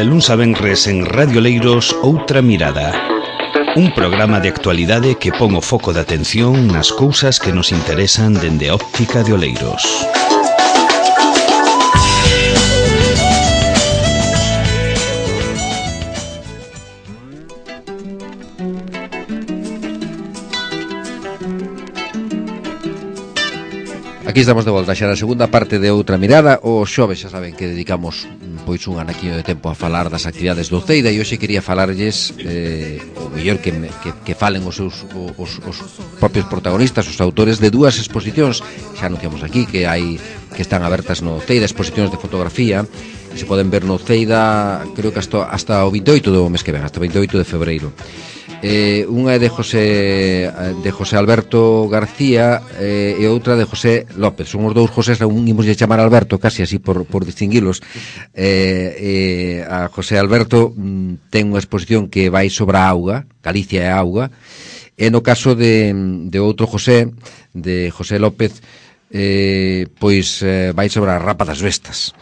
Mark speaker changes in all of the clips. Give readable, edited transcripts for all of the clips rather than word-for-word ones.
Speaker 1: De luns a venres en Radio Leiros, Outra Mirada. Un programa de actualidade que pon o foco de atención nas cousas que nos interesan dende a óptica de Oleiros.
Speaker 2: Aquí estamos de volta xa na segunda parte de Outra Mirada. O xoves xa saben que dedicamos pois un anaquiño de tempo a falar das actividades do Ceida, e hoxe quería falarlles o mellor que falen os seus os propios protagonistas, os autores de dúas exposicións xa anunciamos aquí que están abertas no Ceida, exposicións de fotografía que se poden ver no Ceida, creo que hasta o 28 do mes que ven, hasta o 28 de febreiro. Unha é de José Alberto García e outra de José López. Son os dous Josés, un imos de chamar Alberto casi así por distinguilos. A José Alberto ten unha exposición que vai sobre a auga, Galicia e a auga, e no caso de outro José, de José López, pois vai sobre a rapa das bestas.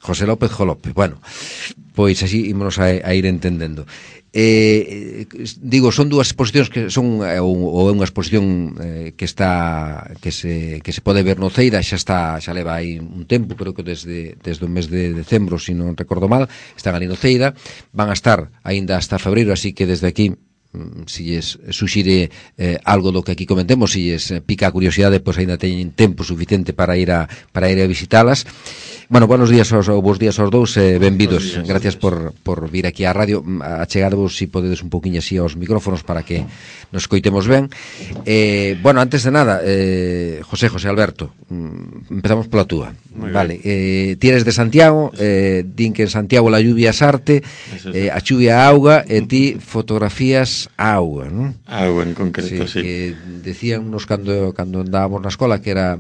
Speaker 2: José López Jolope. Bueno, pois así ímonos a ir entendendo. Digo, son dúas exposicións que son ou é unha exposición que se pode ver no Ceida, xa leva aí un tempo, creo que desde o mes de decembro, se non recordo mal, están ali no Ceida, van a estar aínda hasta febreiro, así que desde aquí si lles suxire algo do que aquí comentemos, si lles pica a curiosidade, pois aínda teñen tempo suficiente para ir a visitalas. Bueno, buenos días aos dous, benvidos. Gracias por vir aquí á radio. Achegadvos, si podedes, un poquinho así aos micrófonos para que nos coitemos ben. Bueno, antes de nada, José Alberto, empezamos pola túa. Vale, ti eres de Santiago, din que en Santiago la lluvia es arte, a chuvia a auga, e ti fotografías a auga, non?
Speaker 3: Auga en concreto, sí.
Speaker 2: Que decíannos cando andábamos na escola que era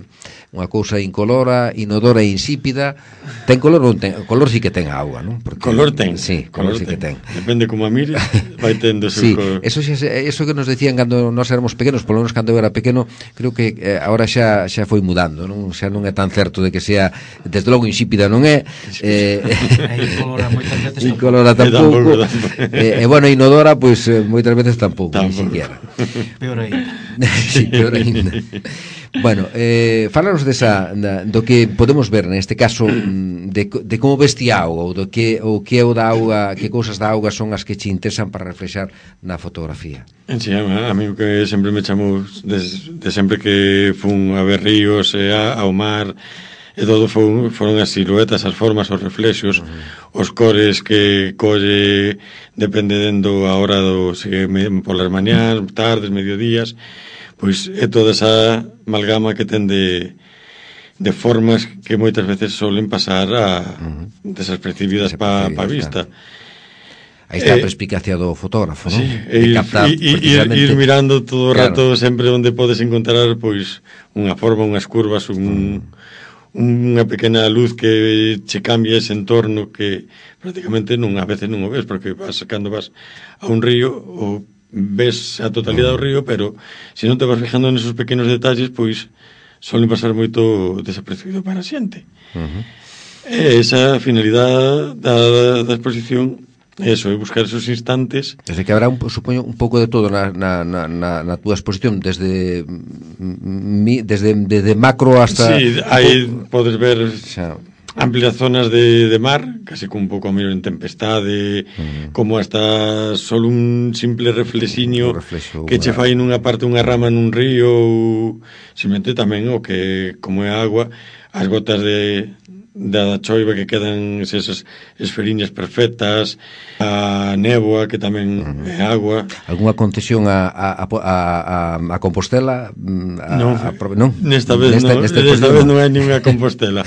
Speaker 2: unha cousa incolora, inodora e insípida. Ten color ou non ten? Color sí que ten a auga, non?
Speaker 3: Porque color ten.
Speaker 2: Sí, color sí que ten.
Speaker 3: Depende como a mires, vai tendo seu
Speaker 2: sí,
Speaker 3: color.
Speaker 2: Eso que nos decían cando nós éramos pequenos, polo menos cando eu era pequeno, creo que agora xa foi mudando, non? Xa non é tan certo de que sea, desde logo insípida non é.
Speaker 4: Incolora moitas veces
Speaker 2: incolora tampouco. E bueno, inodora, pois moitas veces tampouco, ni siquiera.
Speaker 4: Peor ainda.
Speaker 2: Sí, peor ainda. Bueno, falaros do que podemos ver neste caso de como veste a auga, ou que é o da auga, que cousas da auga son as que che interesan para reflexar na fotografía.
Speaker 3: Sí, a mí o que sempre me chamou de sempre que fun a ver ríos e ao mar e todo foron as siluetas, as formas, os reflexos, os cores que colle dependendo a hora polas mañás, tardes, mediodías. Pois é toda esa amalgama que ten de formas que moitas veces solen pasar desapercibidas pa vista.
Speaker 2: Aí está a perspicacia do fotógrafo, non?
Speaker 3: Sí, ir mirando todo o rato, claro, sempre onde podes encontrar pois unha forma, unhas curvas, unha pequena luz que che cambia ese entorno que prácticamente a veces non o ves, porque cando vas a un río ou ves a totalidade do río, pero se non te vas fijando nesos pequenos detalles, pois solen pasar moito desapercibido para a xente. Esa finalidade da exposición é iso, é buscar esos instantes.
Speaker 2: Desde que habrá, supoño, un pouco de todo na túa exposición, desde macro hasta...
Speaker 3: Sí, aí podes ver amplias zonas de mar, casi con un pouco a mellor en tempestade, como hasta solo un simple reflexiño que che fai nunha parte unha rama nun río, ou simplemente tamén o que, como é agua, as gotas da choiva que quedan esas esferiñas perfectas, a néboa que tamén é agua.
Speaker 2: Algúnha concesión a Compostela?
Speaker 3: Non, nesta vez non hai ninguna Compostela.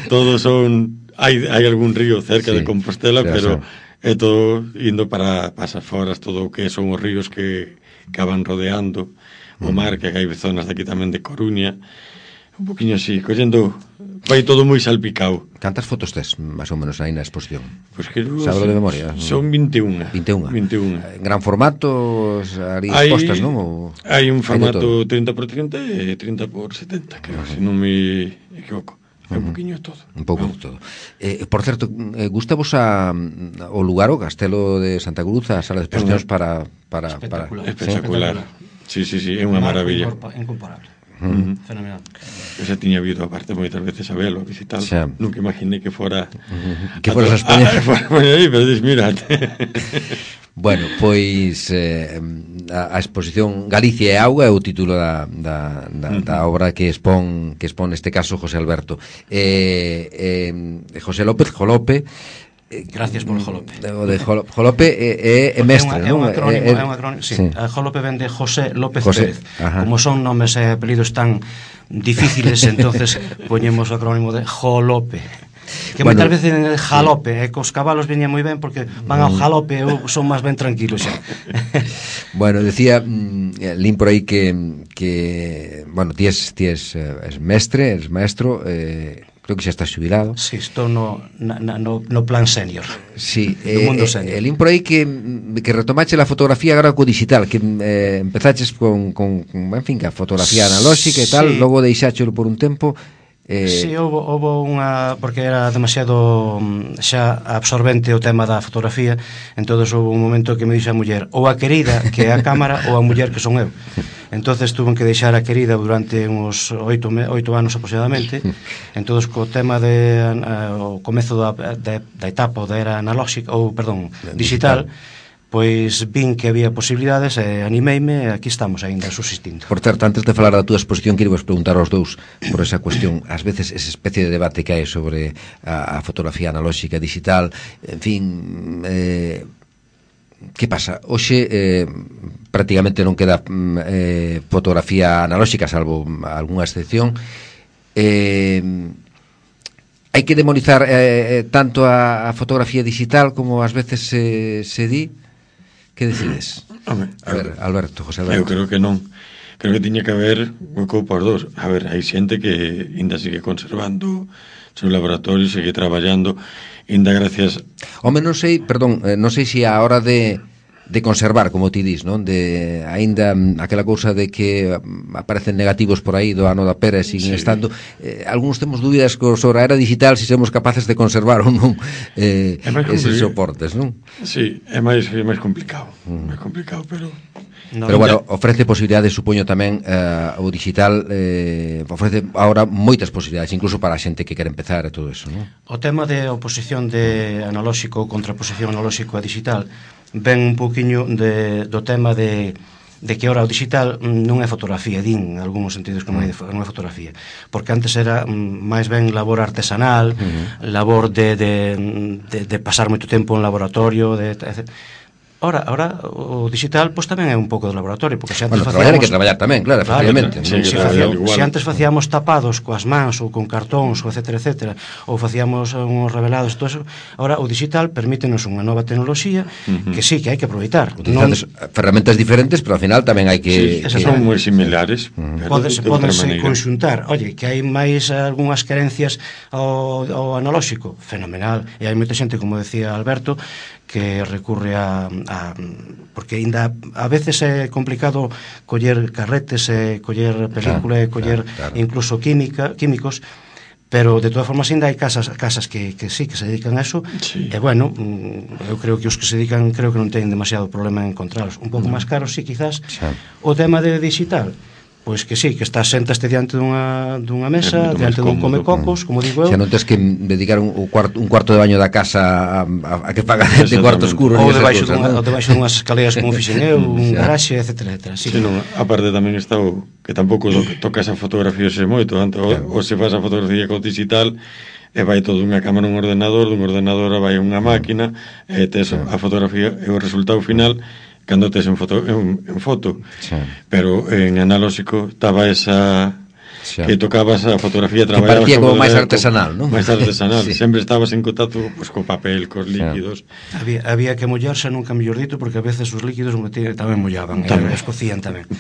Speaker 3: Todos son, hai algún río cerca de Compostela, pero é todo indo para pasar foras, todo o que son os ríos que van rodeando o mar, que hai zonas de aquí tamén de Coruña, un poquinho así, collendo, vai todo moi salpicado.
Speaker 2: Cantas fotos tes, máis ou menos, aí na exposición?
Speaker 3: Pois que
Speaker 2: sablo de memoria.
Speaker 3: Son 21.
Speaker 2: 21. En gran formato, ali expostas, non?
Speaker 3: Hai un formato 30x30 e 30x70, creo, se non me equivoco. un poquinho de todo.
Speaker 2: Un pouco de todo. Por certo, gustavos o lugar, o Castelo de Santa Cruz, a sala de exposicións para
Speaker 3: espectacular. Sí, é unha maravilla.
Speaker 4: Incomparable. Fenomenal.
Speaker 3: Eu xa tiña visto aparte moitas veces a velo, a visitar. Nunca imaginei que fora
Speaker 2: que foras a España.
Speaker 3: Aí, pero dis, mirate.
Speaker 2: Bueno, pois a exposición Galicia e Auga é o título da obra que expón neste caso José Alberto. José López Jolope.
Speaker 4: Gracias por Jolope.
Speaker 2: O de Jolope é mestre,
Speaker 4: non? É un
Speaker 2: acrónimo,
Speaker 4: sí. Jolope ven de José López
Speaker 2: José,
Speaker 4: Pérez. Como son nomes e apelidos tan difíciles, entonces poñemos o acrónimo de Jolope. Que moitas veces en jalope, cos cabalos veña moi ben porque van ao jalope, eu son máis ben tranquilo xa.
Speaker 2: Bueno, decía lín por aí que bueno, ti es mestre, eres maestro, creo que xa estás xubilado.
Speaker 4: Si, estou no plan senior.
Speaker 2: Sí,
Speaker 4: no mundo senior.
Speaker 2: Lín por aí que retomache a fotografía agora co digital, que empezaches con en fin, a fotografía analóxica e tal, logo deixáchelo por un tempo.
Speaker 4: Si, houve unha, porque era demasiado xa absorbente o tema da fotografía, entonces houve un momento que me dixo a muller, ou a querida que é a cámara ou a muller que son eu. Entonces tuve que deixar a querida durante uns 8 anos aproximadamente. Entonces co tema o comezo da etapa da era analóxica, ou perdón, digital, pois vin que había posibilidades e animeime e aquí estamos aínda subsistindo.
Speaker 2: Por certo, antes de falar da túa exposición, quero vos preguntar aos dous por esa cuestión, ás veces esa especie de debate que hai sobre a fotografía analóxica, digital, en fin, que pasa? Hoxe prácticamente non queda fotografía analóxica, salvo algunha excepción. Hai que demonizar tanto a fotografía digital como ás veces se di. Que decides? A ver, Alberto, José Alberto.
Speaker 3: Eu creo que non. Creo que tiña que haber un coupo por dos. A ver, hai xente que ainda sigue conservando seu laboratorio, sigue traballando, ainda gracias...
Speaker 2: Home, non sei se a hora de conservar, como ti dis, non? De aínda aquela cousa de que aparecen negativos por aí do ano da pera e siguen estando. Algúns temos dúbidas sobre a era digital se somos capaces de conservar ou non eses soportes, non?
Speaker 3: Sí, é máis complicado. Máis complicado, pero...
Speaker 2: Pero bueno, ofrece posibilidades, supoño tamén o digital ofrece agora moitas posibilidades, incluso para a xente que quere empezar e todo eso, non?
Speaker 4: O tema de oposición de analóxico ou contraposición analóxico a digital ven un poquinho do tema de que ora o digital non é fotografía, din en algúns sentidos que non é fotografía, porque antes era máis ben labor artesanal, labor de pasar moito tempo en laboratorio, Ora, o digital pois tamén é un pouco de laboratorio, porque se antes
Speaker 2: traballar hai que traballar tamén, claro, efectivamente.
Speaker 4: Se antes facíamos tapados coas mans ou con cartóns, ou etcétera, ou facíamos uns revelados, todo eso, ora o digital permítenos unha nova tecnoloxía que sí, que hai que aproveitar.
Speaker 2: Utilizades ferramentas diferentes, pero ao final tamén hai que...
Speaker 3: Sí, son moi similares.
Speaker 4: Podense conxuntar. Oye, que hai máis algunhas carencias ao analóxico, fenomenal. E hai moita xente, como decía Alberto, que recurre porque ainda a veces é complicado coller carretes e coller película e coller incluso químicos, pero de todas formas ainda hai casas que sí, que se dedican a eso, e bueno, eu creo que os que se dedican creo que non teñen demasiado problema en encontralos. Un pouco máis caros, sí, quizás. O tema de digital, pois que sí, que estás sentaste diante dunha mesa, diante dun comecocos, como digo eu.
Speaker 2: Xa non tens que dedicar un cuarto de baño da casa a que paga de cuarto oscuro.
Speaker 4: Ou debaixo dunhas escaleras como fixen eu, un garaxe, etcétera.
Speaker 3: Sí, non, aparte tamén está o que tampouco tocas a fotografía xe moito, ou se faz a fotografía co digital e vai todo unha cámara un ordenador, dun ordenador vai unha máquina e tes a fotografía e o resultado final cando tes en foto, pero en analóxico estaba esa que tocabas a fotografía, traballabas
Speaker 2: que parecía como máis artesanal, non?
Speaker 3: Máis artesanal, sempre estabas en contacto co papel, cos líquidos.
Speaker 4: Había que mollarse, nunca mellor dito, porque a veces os líquidos tamén mollaban, escocían tamén.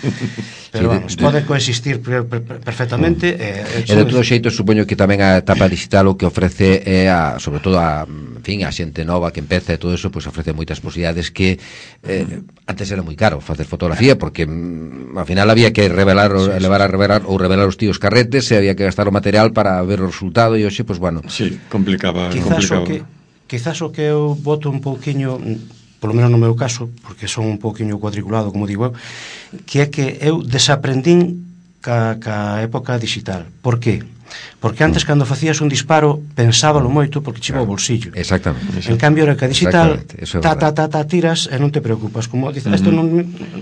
Speaker 4: Pero vamos, pode coexistir perfectamente.
Speaker 2: E de todo xeito, supoño que tamén a etapa digital o que ofrece é, sobre todo a xente nova que empeza e todo eso, pois ofrece moitas posibilidades que antes era moi caro facer fotografía, porque ao final había que revelar os tíos os carretes e había que gastar o material para ver o resultado e hoxe, pois bueno.
Speaker 3: Sí, complicaba.
Speaker 4: Quizás o que eu voto un pouquiño, polo menos no meu caso, porque son un pouquiño cuadriculado, como digo eu, que é que eu desaprendín ca época digital. Por qué? Porque antes, cando facías un disparo, pensábalo moito porque chiva o bolsillo.
Speaker 2: Exactamente.
Speaker 4: En cambio, era que a digital, tiras e non te preocupas. Como dices, isto non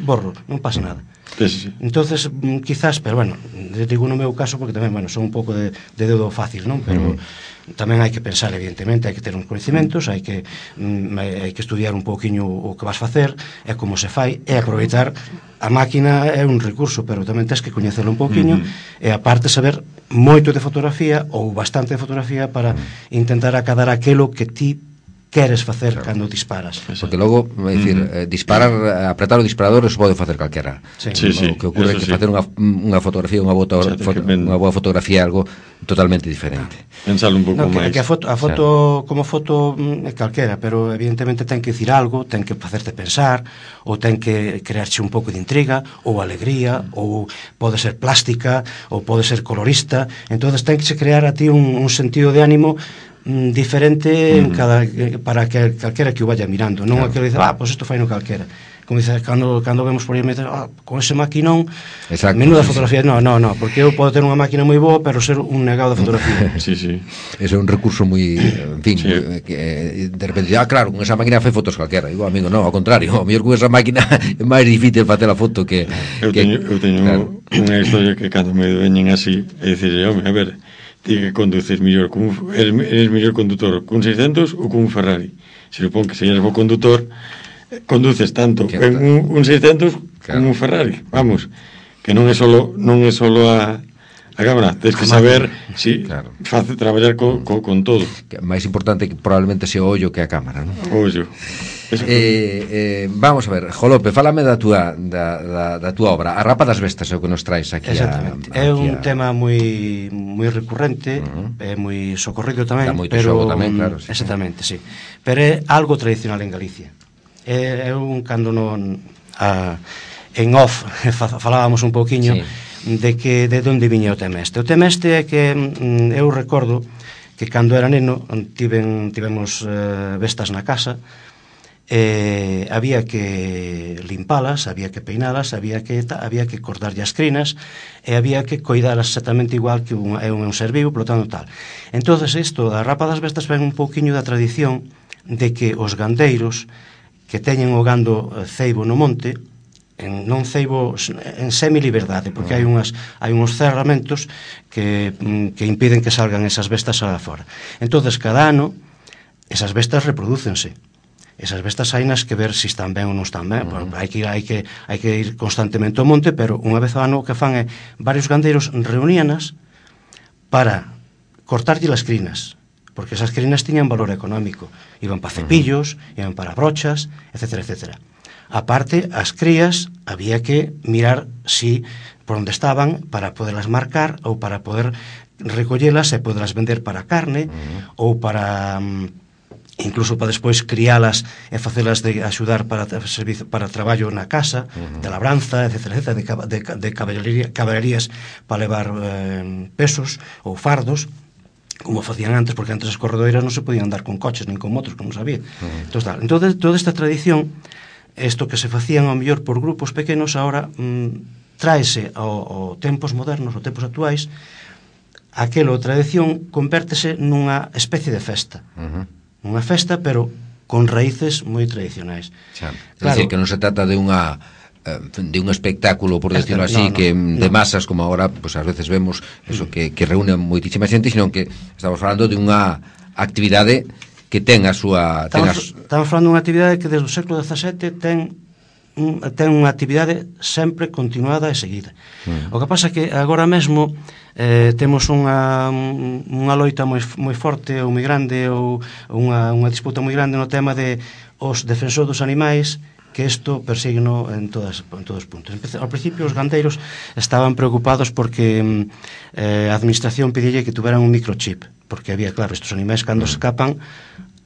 Speaker 4: borro, non pasa nada.
Speaker 3: Sí.
Speaker 4: Entonces, quizás, pero bueno, digo no meu caso porque tamén, bueno, son un pouco de dedo fácil, non? Pero tamén hai que pensar, evidentemente, hai que ter uns conhecimentos, hai que estudiar un pouquiño o que vas facer, e como se fai, e aproveitar. A máquina é un recurso, pero tamén tens que coñecelo un pouquiño, e aparte saber moito de fotografía ou bastante de fotografía para intentar acadar aquelo que ti queres facer cando disparas.
Speaker 2: Porque logo, é dicir, apretar o disparador eso pode facer calquera.
Speaker 3: Sí.
Speaker 2: O que ocorre é que facer unha fotografía, unha boa fotografía é algo totalmente diferente.
Speaker 3: Pensalo un pouco máis.
Speaker 4: Que a foto como foto é calquera, pero evidentemente ten que dicir algo, ten que facerte pensar, ou ten que crearche un pouco de intriga, ou alegría, ou pode ser plástica, ou pode ser colorista. Entonces ten que crear a ti un sentido de ánimo diferente en para que calquera que o vaya mirando, non aquele que dice, pois isto fai no calquera. Como dices, cando vemos por aí con ese maquinón, menuda fotografía. No, porque eu podo ter unha máquina moi boa, pero ser un negado de fotografía.
Speaker 3: Sí.
Speaker 2: Ese é un recurso moi, en fin, que de repente, claro, con esa máquina fai fotos calquera. Digo, amigo, non, ao contrario, ao mellor con esa máquina é máis difícil facer a foto que...
Speaker 3: Eu teño unha historia que cando me veñen así, é dicir, home, a ver, ti que conduces mellor, eres mellor condutor cun 600 ou cun Ferrari. Se supón que se eres bo condutor, conduces tanto en un 600 como un Ferrari. Vamos, que non é solo a cámara, tens que saber face traballar con todo.
Speaker 2: Máis importante que probablemente sea o ollo que a cámara, non?
Speaker 3: O ollo.
Speaker 2: Vamos a ver, Jolope, fálame da túa obra. A Rapa das Bestas é o que nos traes aquí.
Speaker 4: Exactamente. É un tema moi recurrente, é moi socorrido tamén, pero
Speaker 2: tamén, claro,
Speaker 4: exactamente, sí. Pero é algo tradicional en Galicia. É un cando en off falábamos un pouquiño de onde viña o tema este. O tema este é que eu recordo que cando era neno tivemos bestas na casa. Había que limpalas, había que peinalas, había que cortarlle as crinas e había que coidalas exactamente igual que un ser vivo, polo tanto tal. Entonces isto da Rapa das Bestas ven un pouquiño da tradición de que os gandeiros que teñen o gando ceibo no monte, non ceibo en semi-liberdade, porque hai uns cerramentos que impiden que salgan esas bestas a fora. Entonces cada ano esas bestas reprodúcense. Esas bestas hainas que ver se están ben ou non están ben. Hai que ir constantemente ao monte, pero unha vez ao ano o que fan é varios gandeiros reuníanas para cortarlle as crinas, porque esas crinas tiñan valor económico. Iban para cepillos, iban para brochas, etc. Aparte, as crías había que mirar si por onde estaban para poderlas marcar ou para poder recollelas e poderlas vender para carne ou para... incluso para despois crialas e facelas de axudar para traballo na casa, de labranza, etc., de caballerías para levar pesos ou fardos, como facían antes, porque antes as corredoiras non se podían andar con coches nin con motos, como sabía. Entón, toda esta tradición, isto que se facían ao mellor por grupos pequenos, ahora tráese ao tempos modernos, aos tempos actuais, aquela tradición convértese nunha especie de festa. Unha festa, pero con raíces moi tradicionais.
Speaker 2: É dicir, que non se trata de un espectáculo, por decirlo así, que de masas, como agora, pues ás veces vemos eso que reúne moitísima xente, sino que estamos falando de unha actividade que ten a súa...
Speaker 4: Estamos falando dunha actividade que desde o século XVII ten unha actividade sempre continuada e seguida. O que pasa é que agora mesmo temos unha loita moi forte ou moi grande, ou unha disputa moi grande no tema de os defensores dos animais, que isto persígueno en todos os puntos. Ao principio os gandeiros estaban preocupados porque a administración pedille que tuveran un microchip, porque había, claro, estos animais cando escapan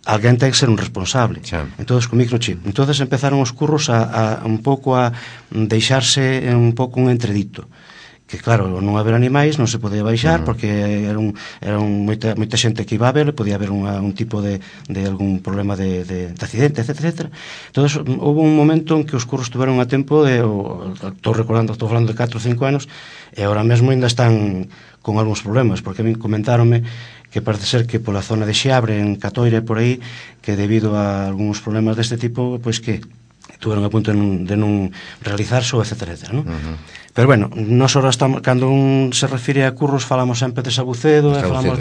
Speaker 4: alguén ten que ser un responsable. Entonces, con microchip. Entonces empezaron os curros a un pouco a deixarse un pouco un entredito. que claro, non haber animais non se podía baixar porque era moita xente que iba a ver, podía haber un tipo de algún problema de accidente, etc. Entonces, houve un momento en que os curros tuveron a tempo estou falando de 4 ou 5 anos, e ahora mesmo ainda están con algúns problemas, porque a mí comentáronme que parece ser que pola zona de Xeabre, en Catoira e por aí, que debido a algúns problemas deste tipo, pois que tuveron a punto de non realizarse, etc. ¿no? Pero bueno, nós ahora estamos, cando se refire a curros, falamos sempre de Sabucedo, falamos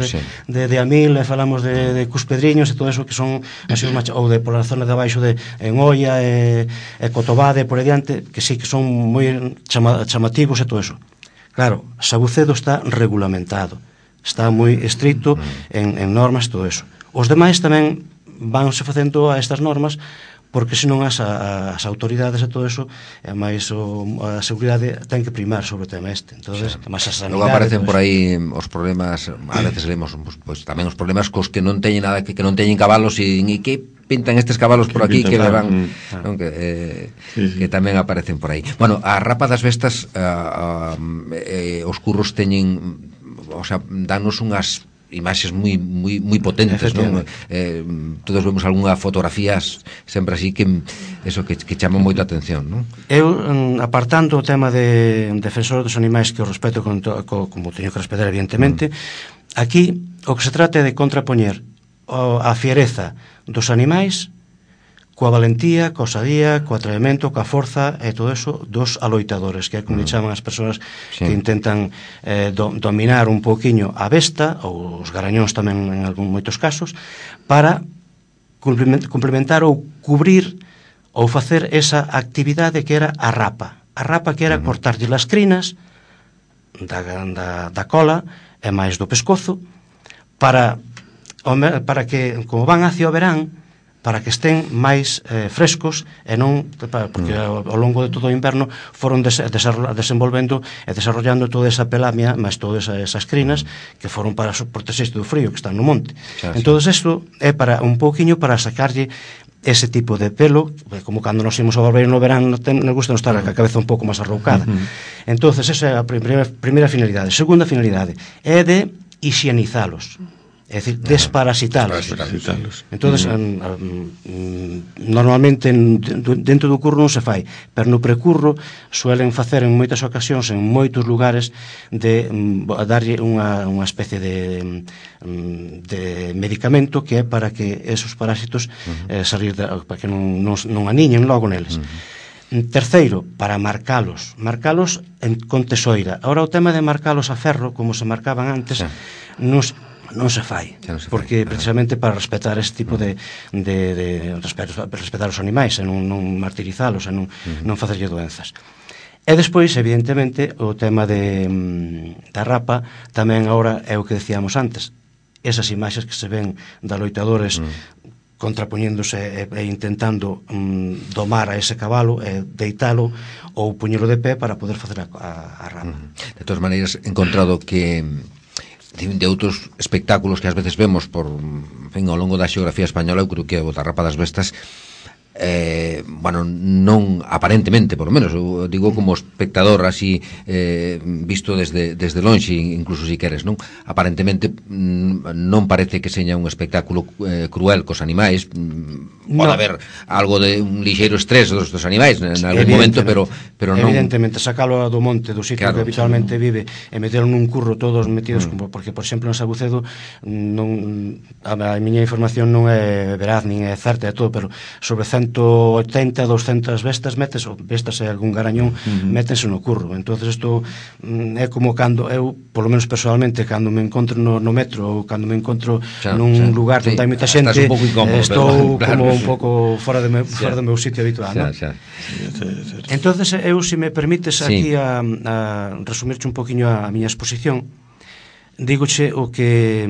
Speaker 4: de Amil, falamos de Cuspedriños e todo eso que son así, ou de pola zona de abaixo de Engoia e Cotobade por aí diante, que sí que son moi chamativos e todo eso. Claro, Sabucedo está regulamentado, está moi estricto en normas e todo eso. Os demais tamén vanse facendo a estas normas, porque senón as autoridades e todo eso, e máis a seguridade ten que primar sobre o tema este. Entonces, máis a sanidade.
Speaker 2: Logo aparecen por aí os problemas, a veces lemos pues, tamén os problemas cos que non teñen nada, que non teñen cabalos e que pintan estes cabalos por aquí que levan, non, que tamén aparecen por aí. Bueno, a Rapa das Vestas, os curros teñen, o sea, danos unhas imaxes moi potentes, non? Todos vemos algunha fotografías sempre así que eso que chama moito a atención, non?
Speaker 4: Eu, apartando o tema de defensor dos animais, que o respeto como teño que respetar evidentemente, aquí o que se trata é de contrapoñer a fiereza dos animais coa valentía, coa osadía, co atrevemento, coa forza e todo eso dos aloitadores, que é como chaman as persoas que intentan dominar un pouquiño a besta, ou os garañóns tamén en moitos casos, para complementar ou cubrir ou facer esa actividade que era a rapa. A rapa que era cortarlle as crinas da cola e máis do pescozo para que, como van hacia o verán, para que estén máis frescos e non, porque ao longo de todo o inverno foron desenvolvendo e desarrollando toda esa pelamia, máis todas esas crinas que foron para protexerse do frío que están no monte. Entón, isto é para un pouquiño para sacarlle ese tipo de pelo, como cando nos imos ao barbeiro no verán, nos gusta estar a cabeza un pouco máis arroucada. Entón, esa é a primeira finalidade. Segunda finalidade é de higienizalos, é dicir, desparasitalos. Entonces, normalmente dentro do curro non se fai, pero no precurro suelen facer en moitas ocasións, en moitos lugares, de darlle unha especie de medicamento que é para que esos parásitos para que non aniñen logo neles. Terceiro, para marcalos con tesoira. Ahora o tema de marcalos a ferro, como se marcaban antes, non se fai, porque precisamente para respetar este tipo de respetar os animais e non martirizalos e non facerlle doenzas. E despois, evidentemente, o tema da rapa tamén agora é o que decíamos antes, esas imaxes que se ven de loitadores contrapoñéndose e intentando domar a ese cabalo e deitalo ou puñelo de pé para poder facer a rapa.
Speaker 2: De todas maneiras, he encontrado que de outros espectáculos que ás veces vemos ao longo da xeografía española, eu creo que o da Rapa das Vestas bueno, non aparentemente, por lo menos eu digo como espectador así visto desde lonxe, incluso si queres, non? Aparentemente non parece que seña un espectáculo cruel cos animais. Pode haber algo de un lixeiro estrés dos animais en algún momento, pero non.
Speaker 4: Evidentemente, sacalo do monte, do sitio que habitualmente vive, e meterlo nun curro todos metidos, porque, por exemplo, en Sabucedo a miña información non é veraz, nin é certa e todo, pero sobre 180, 200 bestas metes, ou bestas e algún garañón métense no curro. Entonces isto é como cando eu, polo menos personalmente, cando me encontro no metro ou cando me encontro nun lugar onde hai moita xente, estou como un pouco fora do meu sitio habitual, non? Entonces eu, se me permites aquí a resumirche un poquinho a miña exposición, dígoche o que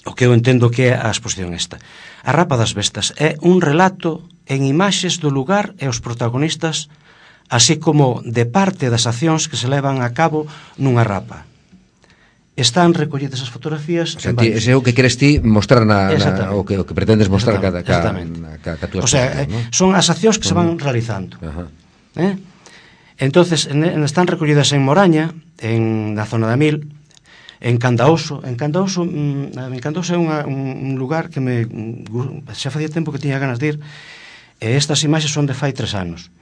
Speaker 4: eu entendo que é a exposición esta. A Rapa das Vestas é un relato en imaxes do lugar e os protagonistas, así como de parte das accións que se levan a cabo nunha rapa. Están recollidas as fotografías.
Speaker 2: O sea, ese é o que queres ti mostrar o que pretendes mostrar ca túa exposición,
Speaker 4: son as accións que se van realizando. Entonces están recollidas en Moraña, na zona da Mil, en Candaoso. En Candaoso é un lugar que xa facía tempo que tiña ganas de ir, e estas imaxes son de fai 3 anos.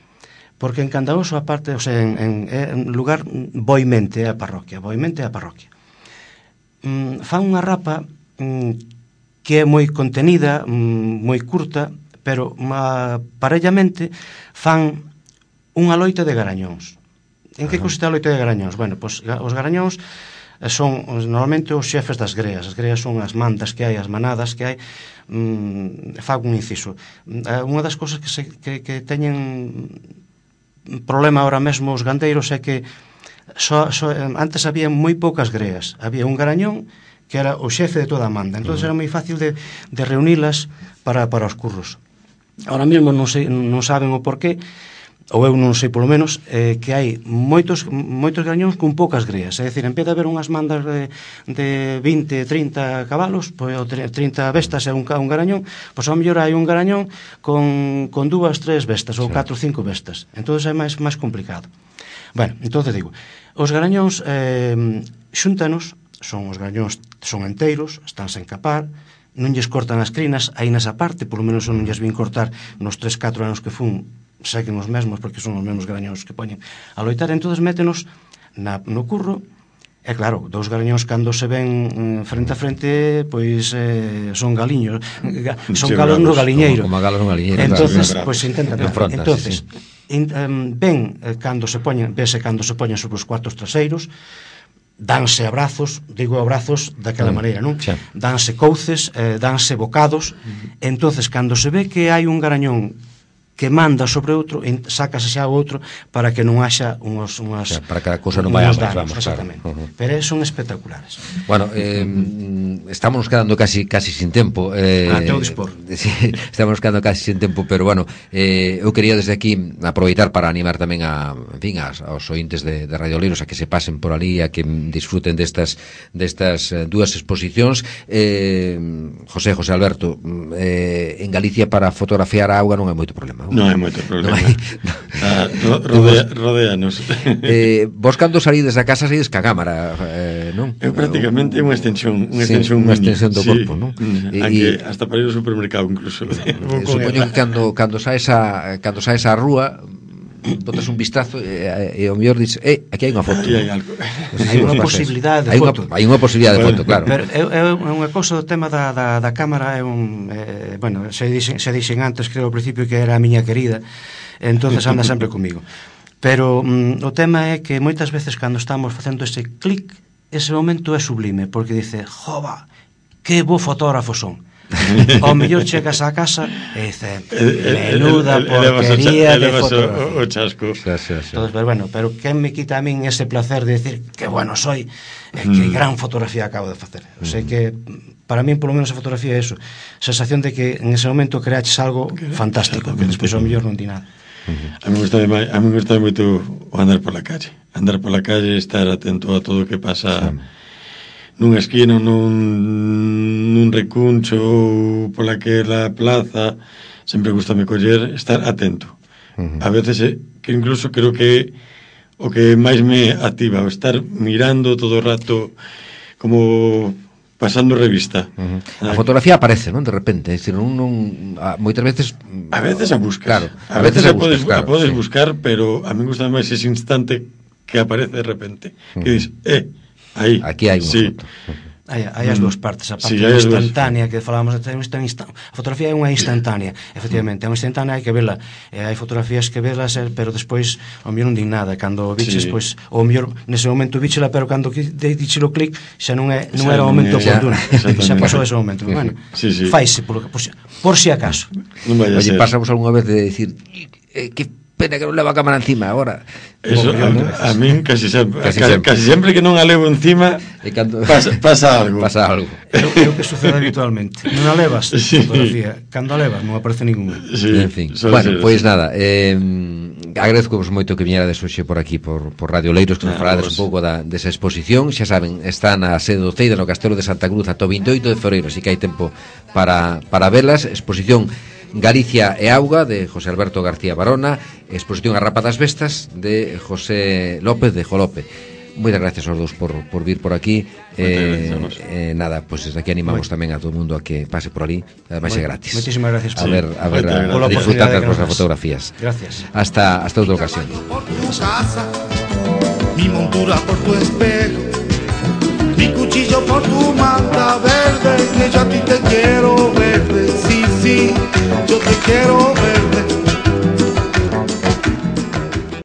Speaker 4: Porque en Candaoso, aparte, en lugar Boimente é a parroquia. Fan unha rapa que é moi contenida, moi curta, pero parellamente fan unha loita de garañóns. En que consiste a loita de garañóns? Bueno, pois os garañóns son normalmente os xefes das greas. As greas son as mandas que hai, as manadas que hai. Fago un inciso. Unha das cousas que teñen problema ahora mesmo os gandeiros é que antes había moi poucas greas. Había un garañón que era o xefe de toda a manda. Entón era moi fácil de reunilas para os curros. Ahora mesmo non saben o porqué, ou eu non sei polo menos, que hai moitos garañóns con poucas greas. É dicir, en vez de haber unhas mandas de 20, 30 cabalos, pois 30 bestas e un garañón, pois ao mellor hai un garañón con 2, 3 bestas, ou 4, 5 bestas. Entón é máis complicado. Bueno, entón digo, os garañóns xúntanos, os garañóns son enteiros, están sen capar, non lles cortan as crinas, aí nesa parte, polo menos non lles vin cortar nos 3, 4 anos que fun, seguen os mesmos, porque son os mesmos garañóns que poñen a loitar. Entón métenos no curro, e claro, 2 garañóns cando se ven frente a frente, pois son galiños, son galos no galiñeiro.
Speaker 2: Como galos no galiñeiro.
Speaker 4: Entonces, pois intentan. Entonces, ven cando se poñen sobre os cuartos traseiros, danse abrazos, digo abrazos daquela maneira, non? Danse couces, danse bocados. Entonces, cando se ve que hai un garañón que manda sobre outro, sácase xa o outro para que non haxa unhas
Speaker 2: para que a cousa non vaya máis, vamos,
Speaker 4: exactamente. Claro. Pero son espectaculares.
Speaker 2: Bueno, estamos quedando casi sin tempo.
Speaker 4: Teu dispor.
Speaker 2: Sí, estamos quedando casi sin tempo, pero bueno, eu quería desde aquí aproveitar para animar tamén aos ointes de Radio Oleiros a que se pasen por ali, a que disfruten destas 2 exposicións. José Alberto, en Galicia para fotografiar a auga non hai moito problema.
Speaker 3: Non hai moito problema. Rodéanos.
Speaker 2: Vos cando salides da casa salides ca cámara, non?
Speaker 3: Eu prácticamente unha extensión
Speaker 2: do corpo, non?
Speaker 3: Hasta para ir ao supermercado incluso.
Speaker 2: Supoño que cando saes á rúa botas un vistazo e ao mellor dices, aquí hai unha foto.
Speaker 4: Hai unha posibilidade de foto.
Speaker 2: Hai unha posibilidade de foto, claro.
Speaker 4: Pero é unha cousa do tema da cámara, bueno, se dixen antes, creo ao principio que era a miña querida, entonces anda sempre comigo. Pero o tema é que moitas veces cando estamos facendo ese clic, ese momento é sublime, porque dice, jova, que bo fotógrafo son. Ao mellor chegas á casa e dice, menuda porquería de fotografía.
Speaker 3: O chasco.
Speaker 4: Entonces, pero quen me quita a min ese placer de decir que bueno soy, que gran fotografía acabo de facer. O sea que para min polo menos a fotografía é eso, sensación de que en ese momento creaches algo fantástico, que despois ao mellor non di nada.
Speaker 3: A mí me gusta moito andar pola calle, estar atento a todo o que pasa nunha esquina, nun recuncho ou polaquela plaza. Sempre gustame coller, estar atento. A veces que incluso creo que o que máis me activa, estar mirando todo o rato como pasando revista.
Speaker 2: A fotografía aparece, non? De repente, é dicir, moitas veces
Speaker 3: a veces a buscas.
Speaker 2: Claro,
Speaker 3: a veces a podes buscar, pero a mí gusta máis ese instante que aparece de repente, que dices, aí,
Speaker 2: aquí hai unha foto.
Speaker 4: Hai as dúas partes, a parte instantánea que falábamos de a fotografía é unha instantánea, efectivamente, é unha instantánea, hai que vela, hai fotografías que velas, pero despois ao mellor non din nada, cando viches, pois, ou mellor nese momento vichela, pero cando diches o clic xa non era o momento oportuno, xa pasou ese momento. Bueno, faise por si acaso.
Speaker 2: Oye, pasamos algunha vez de decir que pena que non leva a cámara encima agora.
Speaker 3: Eso, a min casi sempre que non a levo encima pasa algo.
Speaker 4: É o que sucede habitualmente. Non a levas fotografía, cando a levas non aparece ninguna.
Speaker 2: En fin, bueno, pois nada, agradezco-vos moito que viñerades hoxe por aquí por Radio Oleiros, que nos falades un pouco desa exposición. Xa saben, está na sede do Ceida, no Castelo de Santa Cruz, ata o 28 de febreiro, así que hai tempo para velas. Exposición Galicia e Auga, de José Alberto García Barona, exposición A Rapa das Bestas, de José López de Jolope. Moitas gracias aos dous por vir por aquí. Nada, pois desde aquí animamos tamén a todo o mundo a que pase por ali. Ademais é gratis.
Speaker 4: Moitísimas gracias
Speaker 2: a ver a disfrutar das vosas fotografías.
Speaker 4: Gracias.
Speaker 2: Hasta outra ocasión.
Speaker 5: Mi montura por tu espejo, mi cuchillo por tu manta verde, que yo a ti te quiero.